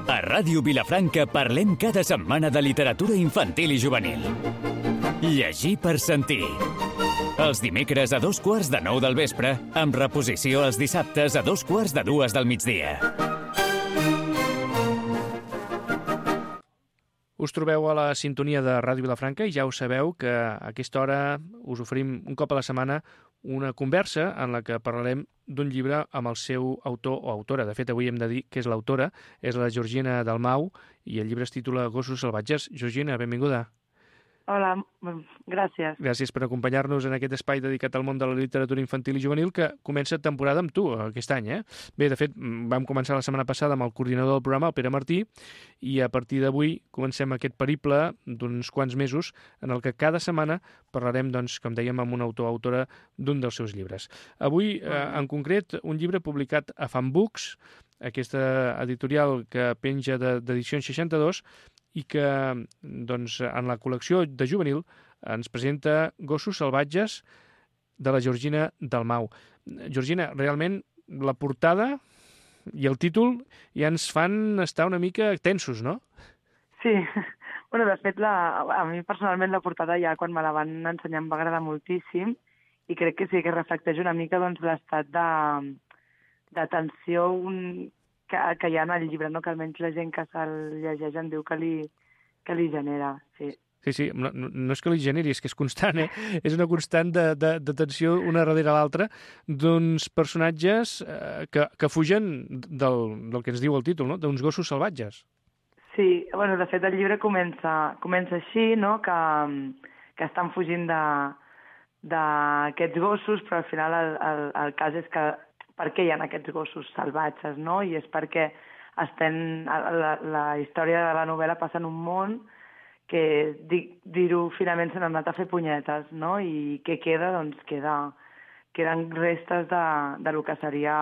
A Ràdio Vilafranca parlem cada setmana de literatura infantil i juvenil. Llegir per sentir. Els dimecres a 8:45 del vespre, amb reposició els dissabtes a 2:45 del migdia. Us trobeu a la sintonia de Ràdio Vilafranca i ja ho sabeu que a aquesta hora us oferim un cop a la setmana una conversa en la que parlarem d'un llibre amb el seu autor o autora. De fet, avui hem de dir que és l'autora, és la Georgina Dalmau, i el llibre es titula Gossos salvatges. Georgina, benvinguda. Hola, gràcies. Gràcies per acompanyar-nos en aquest espai dedicat al món de la literatura infantil i juvenil que comença temporada amb tu aquest any, Bé, de fet, vam començar la setmana passada amb el coordinador del programa, el Pere Martí, i a partir d'avui comencem aquest periple d'uns quants mesos en el que cada setmana parlarem, doncs, com dèiem, amb un autor o autora d'un dels seus llibres. Avui, en concret, un llibre publicat a Fan Books, aquesta editorial que penja d'edicions 62, i que doncs, en la col·lecció de juvenil ens presenta Gossos salvatges de la Georgina Dalmau. Georgina, realment la portada i el títol ja ens fan estar una mica tensos, no? Sí, bueno, de fet, a mi personalment la portada ja quan me la van ensenyar em va agradar moltíssim i crec que sí que reflecteix una mica doncs, l'estat de tensió que hi ha en el llibre, no? Que almenys la gent que se'l llegeix em diu que li genera, sí. Sí, no és que li generi, és que és constant, És una constant de tensió una darrere l'altra d'uns personatges que fugen del que ens diu el títol, no? D'uns gossos salvatges. Sí, bueno, de fet el llibre comença així, no? Que estan fugint d'aquests gossos, però al final el cas és que per què hi ha aquests gossos salvatges, no? I és perquè la història de la novel·la passa en un món que, dir-ho finament, se n'han anat a fer punyetes, no? I què queda? Doncs queden restes del que seria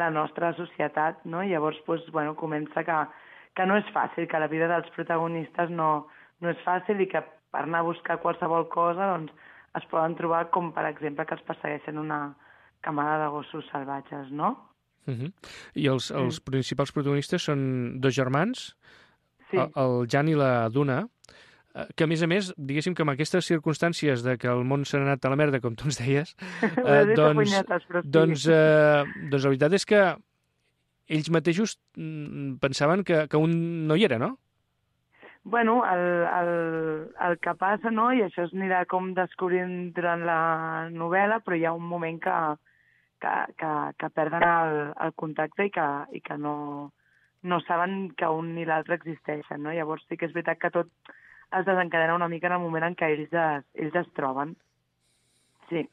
la nostra societat, no? I llavors, doncs, bueno, comença que no és fàcil, que la vida dels protagonistes no és fàcil i que per anar a buscar qualsevol cosa doncs, es poden trobar com, per exemple, que els persegueixen una camada de gossos salvatges, no? I els principals protagonistes són dos germans, sí. El Jan i la Duna, que a més, diguéssim que amb aquestes circumstàncies de que el món s'ha anat a la merda, com tu ens deies, doncs la veritat és que ells mateixos pensaven que un no hi era, no? Bueno, el que passa, no?, i això es anirà com descobrint durant la novel·la, però hi ha un moment que perden el contacte i que no saben que un ni l'altre existeixen, no? Llavors sí que és veritat que tot es desencadena una mica en el moment en què ells es troben. Sí.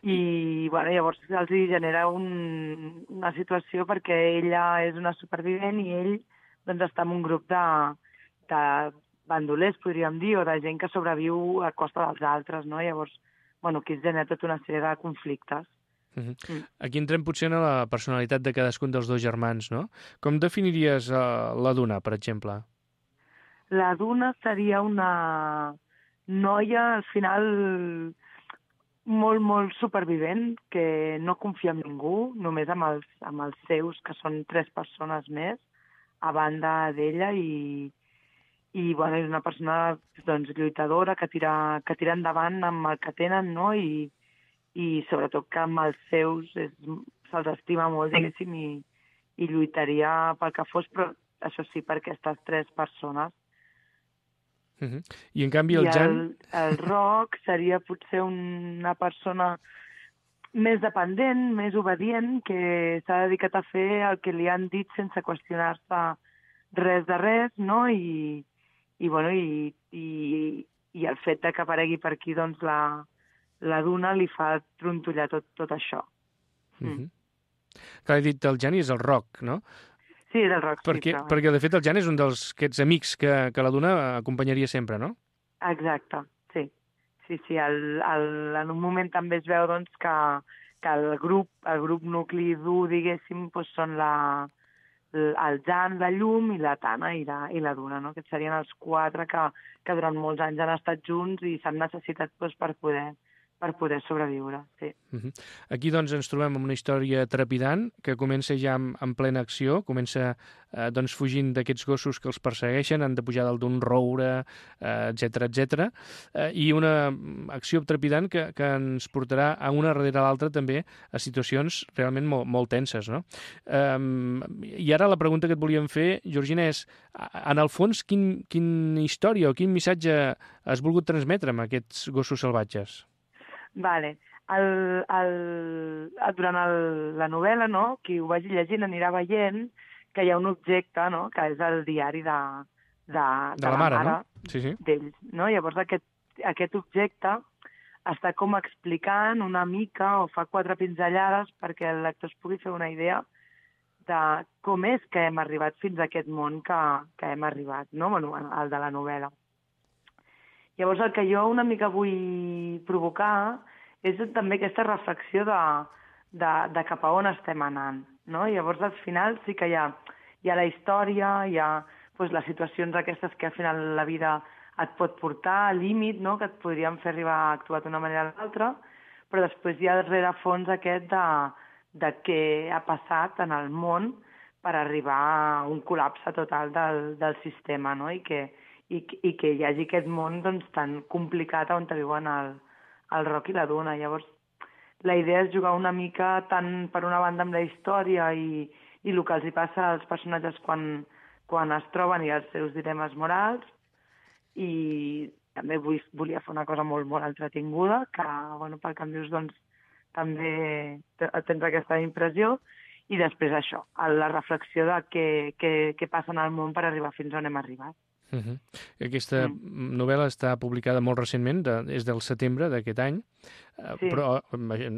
I bueno, llavors els genera una situació perquè ella és una supervivent i ell doncs, està en un grup de bandolers, podríem dir, o de gent que sobreviu a costa dels altres, no? Llavors, bueno, aquí es genera tota una sèrie de conflictes. Aquí entrem potser en la personalitat de cadascun dels dos germans, no? Com definiries la Duna, per exemple? La Duna seria una noia, al final, molt, molt supervivent, que no confia en ningú, només amb els seus, que són 3 persones més, a banda d'ella, i bueno, és una persona doncs, lluitadora, que tira endavant amb el que tenen, no? I sobretot que amb els seus se'ls estima molt, diguéssim, i lluitaria pel que fos, però això sí, per aquestes 3 persones. I en canvi el Jan... El Roc seria potser una persona més dependent, més obedient, que s'ha dedicat a fer el que li han dit sense qüestionar-se res de res, no? I el fet que aparegui per aquí doncs, la Duna li fa trontollar tot això. Clar, he dit el Jan i és el Roc, no? Sí, del Roc, perquè de fet el Jan és un d'aquests amics que la Duna acompanyaria sempre, no? Exacte, sí. Sí, en un moment també es veu doncs, que el grup nucli dur, diguéssim, doncs, són el Jan, la Llum i la Tana i la Duna, no? Que serien els 4 que durant molts anys han estat junts i s'han necessitat doncs, per poder per poder sobreviure, sí. Aquí, doncs, ens trobem amb una història trepidant que comença ja en plena acció, comença doncs, fugint d'aquests gossos que els persegueixen, han de pujar dalt d'un roure, etc, i una acció trepidant que ens portarà a una darrere l'altra també a situacions realment molt tenses, no? I ara la pregunta que et volíem fer, Georgina, és, en el fons, quina història o quin missatge has volgut transmetre amb aquests gossos salvatges? Vale. Durant la novel·la, no, qui ho vagi llegint anirà veient que hi ha un objecte, no, que és el diari de la mare, no? Sí. D'ells. No? Llavors aquest objecte està com explicant una mica o fa 4 pinzellades perquè el lector es pugui fer una idea de com és que hem arribat fins a aquest món que hem arribat, no? Bueno, el de la novel·la. Llavors el que jo una mica vull provocar és també aquesta reflexió de cap a on estem anant, no? Llavors al final sí que hi ha la història, hi ha doncs, les situacions aquestes que al final la vida et pot portar al límit, no? Que et podrien fer arribar a actuar d'una manera o l'altra, però després hi ha el rerefons aquest de què ha passat en el món per arribar a un col·lapse total del sistema, no? I que hi hagi aquest món doncs, tan complicat on viuen el Roc i la Duna. Llavors, la idea és jugar una mica tant per una banda amb la història i el que els hi passa als personatges quan es troben i els seus dilemes morals, i també volia fer una cosa molt, molt entretinguda, que, bueno, pel que em dius, doncs, també tens aquesta impressió, i després això, la reflexió de què passa en el món per arribar fins on hem arribat. Aquesta novel·la està publicada molt recentment, és del setembre d'aquest any, sí. Però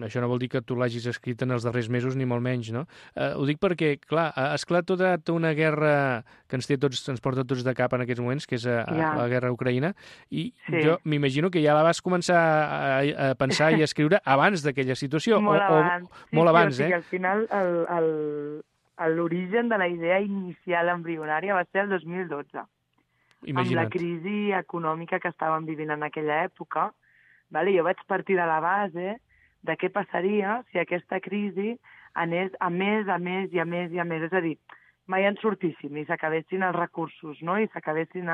això no vol dir que tu l'hagis escrit en els darrers mesos, ni molt menys, no? Ho dic perquè, clar, ha esclat tota una guerra que ens porta tots de cap en aquests moments, que és la guerra a Ucraïna, i sí. Jo m'imagino que ja la vas començar a pensar i a escriure abans d'aquella situació. Molt abans. Molt abans, Al final, l'origen de la idea inicial embrionària va ser el 2012. Imagina't. Amb la crisi econòmica que estàvem vivint en aquella època, vale? Jo vaig partir de la base de què passaria si aquesta crisi anés a més, és a dir, mai en sortíssim i s'acabessin els recursos, no? I s'acabessin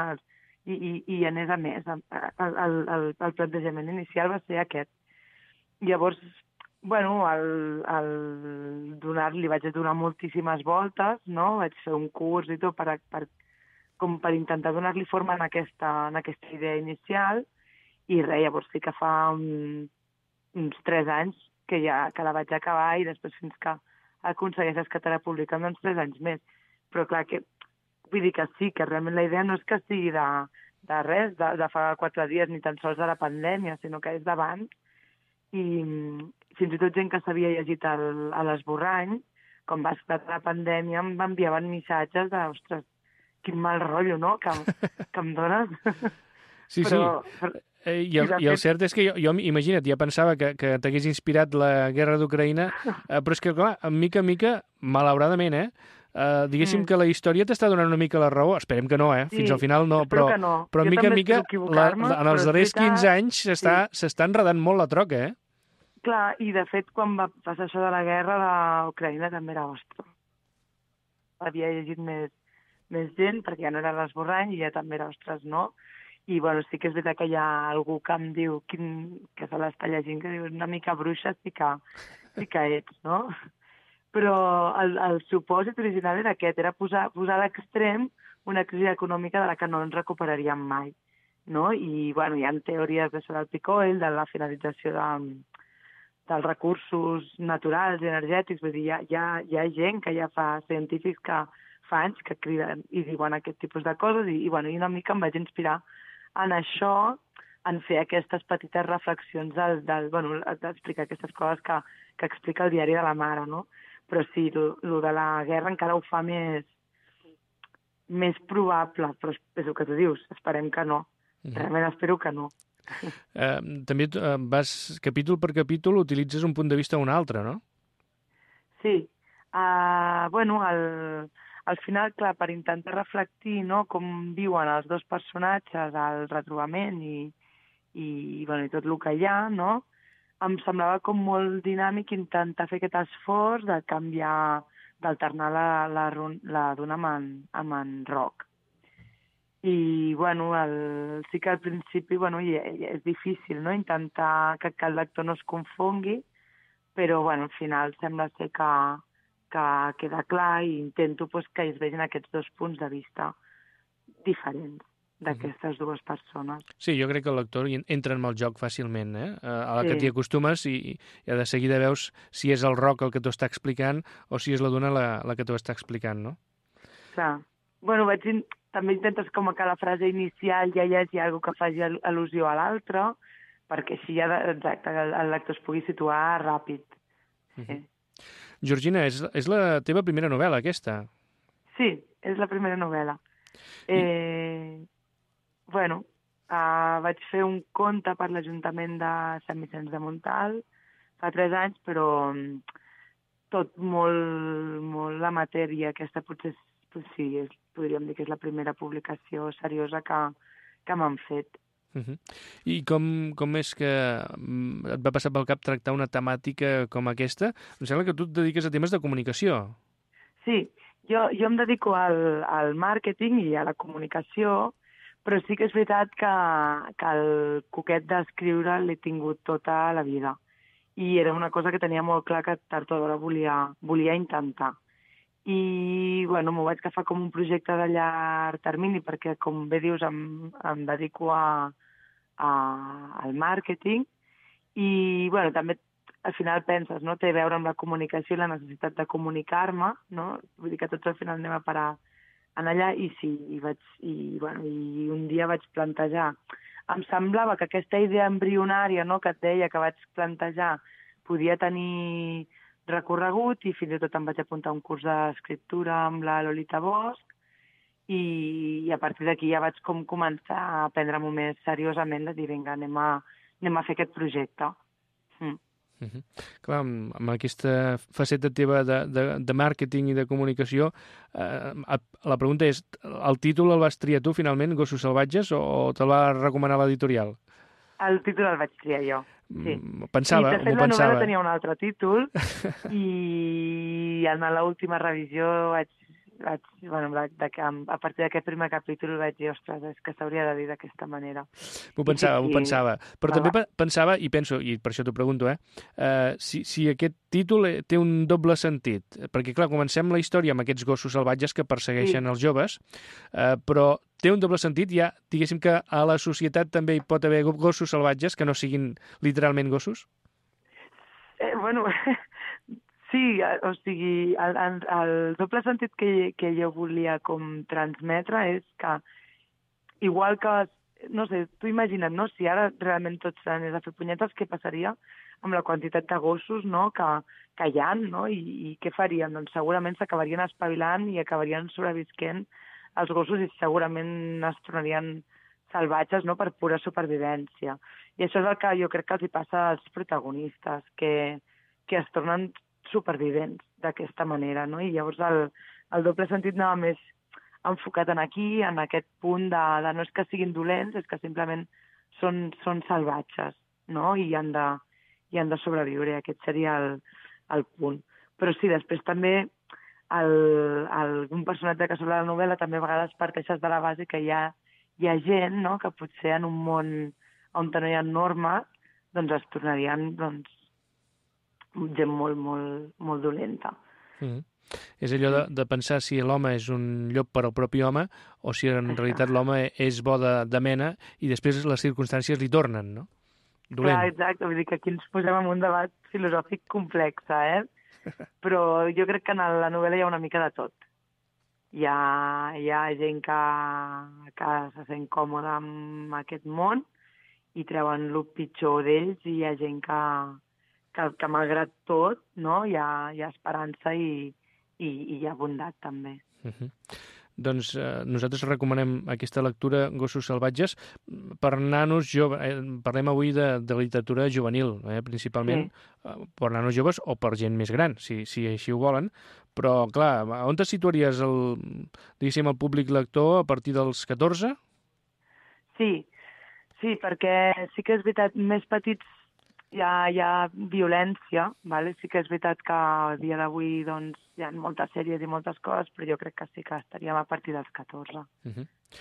i anés a més. El plantejament inicial va ser aquest. Llavors, bueno, li vaig donar moltíssimes voltes, no? Vaig fer un curs i tot com per intentar donar-li forma en aquesta idea inicial, i res, llavors sí que fa uns 3 anys que la vaig acabar, i després fins que aconsegueixes que te la publiquen, doncs 3 anys més. Però clar, vull dir que sí, que realment la idea no és que sigui de res, de fa 4 dies, ni tan sols de la pandèmia, sinó que és d'abans, i fins i tot gent que s'havia llegit a l'esborrany, com va esclatar la pandèmia, em enviaven missatges de, ostres, quin mal rotllo, no?, que em dones. Sí, però, sí. I el cert és que jo imagina't, ja pensava que t'hagués inspirat la guerra d'Ucraïna, però és que, clar, mica en mica, malauradament, diguéssim que la història t'està donant una mica la raó. Esperem que no, fins al final no, però mica en mica, en els darrers 15 anys s'està enredant molt la troca, Clar, i de fet, quan va passar això de la guerra d'Ucraïna també era ostres. Havia llegit més gent, perquè ja no era l'esborrany, i ja també era, ostres, no? I, bueno, sí que és veritat que hi ha algú que em diu, que se l'està llegint, que diu, una mica bruixa sí que ets, no? Però el supòsit original era aquest, era posar a l'extrem una crisi econòmica de la que no ens recuperaríem mai, no? I, bueno, hi ha teories d'això del peak oil, de la finalització dels recursos naturals i energètics, vull dir, hi ha gent que ja fa, científics que fa anys que criden i diuen aquest tipus de coses, i una mica em vaig inspirar en això, en fer aquestes petites reflexions d'explicar aquestes coses que explica el diari de la mare, no? Però sí, el de la guerra encara ho fa més probable, però és el que tu dius, esperem que no. Realment espero que no. També vas, capítol per capítol, utilitzes un punt de vista o un altre, no? Sí. Al final, clar, per intentar reflectir, no, com viuen els dos personatges al retrobament i tot el que hi ha, no? em semblava com molt dinàmic intentar fer aquest esforç de canviar, d'alternar la duna amb en rock. I, bueno, sí que al principi, bueno, és difícil, no?, intentar que el lector no es confongui, però, bueno, al final sembla ser que queda clar i intento pues, que es vegin aquests dos punts de vista diferents d'aquestes dues persones. Sí, jo crec que el lector entra en el joc fàcilment, a la Sí. que t'hi acostumes i de seguida veus si és el rock el que t'ho està explicant o si és la duna la que t'ho està explicant, no? Clar. Bueno, també intentes com a cada frase inicial ja hi hagi alguna que faci al·lusió a l'altre, perquè així ja, exacte, el lector es pugui situar ràpid. Sí. Georgina, és la teva primera novel·la, aquesta? Sí, és la primera novel·la. Bueno, vaig fer un conte per l'Ajuntament de Sant Vicenç de Montalt fa 3 anys, però tot molt amateur i aquesta potser sí, podríem dir que és la primera publicació seriosa que m'han fet. I com és que et va passar pel cap tractar una temàtica com aquesta? Em sembla que tu et dediques a temes de comunicació. Sí, jo em dedico al màrqueting i a la comunicació, però sí que és veritat que el coquet d'escriure l'he tingut tota la vida. I era una cosa que tenia molt clar que tard o d'hora volia intentar. I, bueno, m'ho vaig agafar com un projecte de llarg termini perquè, com bé dius, em dedico al màrqueting i, bueno, també al final penses, no?, té a veure amb la comunicació i la necessitat de comunicar-me, no? Vull dir que tots al final anem a parar en allà i sí, i un dia vaig plantejar. Em semblava que aquesta idea embrionària, no?, que et deia que vaig plantejar podia tenir recorregut i fins i tot em vaig apuntar a un curs d'escriptura amb la Lolita Bosch i a partir d'aquí ja vaig començar a prendre-m'ho més seriosament, de dir, vinga, anem a fer aquest projecte. Clar, amb aquesta faceta teva de màrqueting i de comunicació, la pregunta és, el títol el vas triar tu finalment, Gossos salvatges, o te'l va recomanar l'editorial? El títol el vaig triar jo, sí. M'ho pensava. I de fet la novel·la tenia un altre títol i en l'última revisió a partir d'aquest primer capítol vaig dir, ostres, és que s'hauria de dir d'aquesta manera. M'ho pensava. Però també pensava, i penso, i per això t'ho pregunto, si aquest títol té un doble sentit. Perquè, clar, comencem la història amb aquests gossos salvatges que persegueixen els joves, però té un doble sentit, ja, diguéssim que a la societat també hi pot haver gossos salvatges que no siguin literalment gossos? Bueno... Sí, o sigui, el doble sentit que jo volia com transmetre és que, igual que, no sé, tu imagina't, no?, si ara realment tots anés a fer punyetes, què passaria amb la quantitat de gossos, no?, que hi ha, no?, i què faríem? Doncs segurament s'acabarien espavilant i acabarien sobrevisquent els gossos i segurament es tornarien salvatges, no?, per pura supervivència. I això és el que jo crec que els hi passa als protagonistes, que es tornen supervivents d'aquesta manera, no? I llavors el doble sentit anava més enfocat en aquí, en aquest punt de no és que siguin dolents, és que simplement són salvatges, no? I han de sobreviure, aquest seria el punt. Però sí, després també un personatge que sobre la novel·la també a vegades parteixes de la base que hi ha gent, no?, que potser en un món on no hi ha normes, doncs es tornarien, gent molt dolenta. És allò de pensar si l'home és un llop per al propi home o si en realitat l'home és bo de mena i després les circumstàncies li tornen, no? Dolent. Clar, exacte, vull dir que aquí ens posem en un debat filosòfic complex, Però jo crec que en la novel·la hi ha una mica de tot. Hi ha gent que se sent còmoda amb aquest món i treuen el pitjor d'ells i hi ha gent que malgrat tot, no?, hi ha esperança i hi ha bondat també. Doncs nosaltres recomanem aquesta lectura, Gossos salvatges, per nanos joves. Parlem avui de literatura juvenil, principalment, per nanos joves o per gent més gran, si així ho volen. Però, clar, on te situaries diguéssim, el públic lector a partir dels 14? Sí, perquè sí que és veritat, més petits hi ha violència, vale? Sí que és veritat que a dia d'avui doncs, hi ha moltes sèries i moltes coses, però jo crec que sí que estaríem a partir dels 14.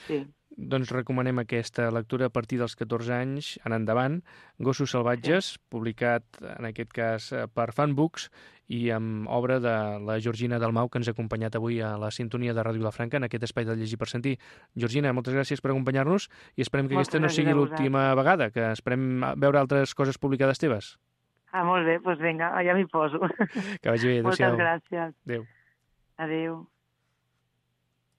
Sí. Doncs recomanem aquesta lectura a partir dels 14 anys en endavant. Gossos salvatges, publicat en aquest cas per Fanbooks i amb obra de la Georgina Dalmau, que ens ha acompanyat avui a la sintonia de Ràdio Vilafranca en aquest espai de Llegir per Sentir. Georgina, moltes gràcies per acompanyar-nos i esperem que aquesta no sigui l'última vegada, que esperem veure altres coses publicades teves. Molt bé, doncs vinga, ja m'hi poso. Que vagi bé, adéu-siau. Moltes gràcies. Adéu. Adéu.